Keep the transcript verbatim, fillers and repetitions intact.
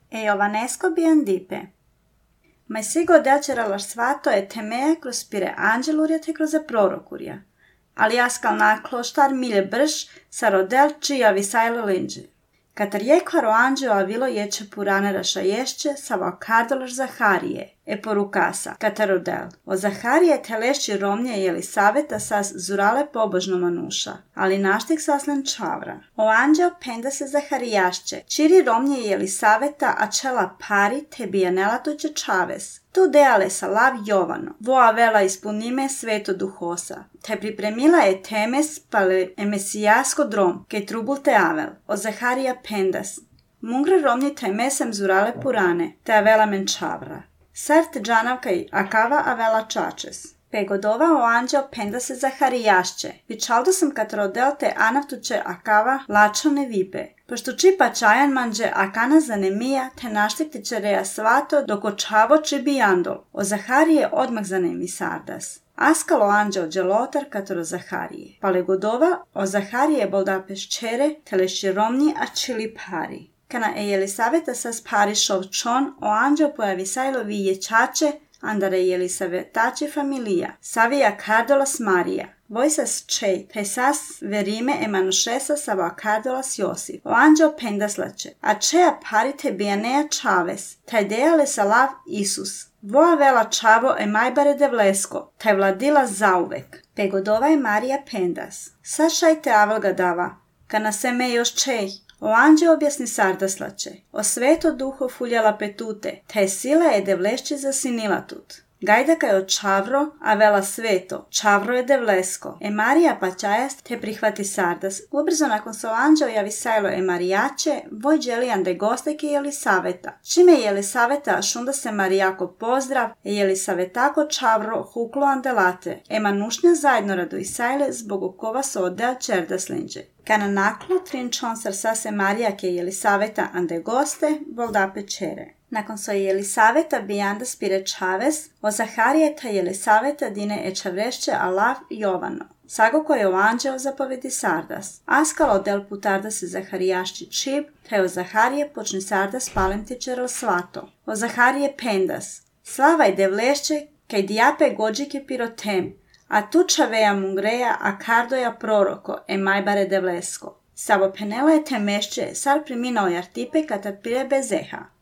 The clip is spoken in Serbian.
E Jovanesco biandipe. Ma sigo delcera la svato e temea kroz spire angeluria te kroz prorokuria. Ali askal nakloštar milje brž sa rodel čija visajlo linđe. Katar jekvaro anđeo avilo ječe purane raša ješće sa vakardolaš Zaharije, e porukasa, katar rodel. O Zaharije telešći romnje jeli saveta sas zurale pobožno manuša, ali naštik saslen čavra. O anđeo penda se Zaharijašće, čiri romnje jeli saveta, a čela pari te bijanela tuđe čaves. Tu deale sa lav Jovano, voa vela ispunime sveto duhosa, te pripremila je temes pale emesijasko drom, ke trubul te avel, o Zaharija pendas. Mungre romnji temesem zurale purane, te avela menčavra. Sart džanavka i akava avela čačes. Pegodova o anđeo penda se Zaharijašće, vičaldo sam kat rodel te anavtuće akava lačone vipe. Pošto čipa čajan manđe akana zanemija te naštiktiće reja svato doko čavo čibijandol, o Zaharije odmah zanemi sardas. Askalo anđeo dželotar katoro Zaharije. Palegodova o Zaharije boldapeš čere telešći romnji a čili pari. Kana e Jelisaveta sas pari šov čon o anđeo pojavi sajlo vije čače, andare Jelisavetače familija, savija kardolas Marija. Vojsas čej, te sas verime emanušesa sava kardolas Josip. O anđeo pendaslače, a čeja parite bijanea čaves, taj dejale sa lav Isus. Voa vela čavo e majbare devlesko, taj vladila zauvek. Pegodova je Marija pendas. Sašaj te avelga dava, kana se me još čej. O anđeo objasni sardaslače, o sveto duho fuljala petute, te sila je devlešće zasinila tut. Gajdaka je od čavro, a vela sveto, čavro je devlesko. E Marija pačajast te prihvati sardas. Ubrzo nakon so anđeo javi sajlo e Marijače, voj dželijan de gosteke Jelisaveta. Čime je Jelisaveta šunda se Marijako pozdrav, e Jelisavetako čavro huklo andelate. E manušnja zajedno radu i sajle zbog okova so odel čerdaslinđe. Kana naklo trinčon sarsa se Marijake Jelisaveta ande goste, voldape čere. Nakon so Jelisaveta bijanda spire čaves, o Zaharijeta Jelisaveta dine e čavrešće alav Jovano. Sago koje o anđeo zapovedi sardas. Askalo del putarda se Zaharijašći čib, te o Zaharije počne sardas palem tičero svato. O Zaharije pendas. Slavaj devlešće, kaj dijape gođike pirotem, a tuča veja mungreja, a kardoja proroko, e majbare devlesko. Savo penela je temešće, sar priminao jartipe katar pire bezeha.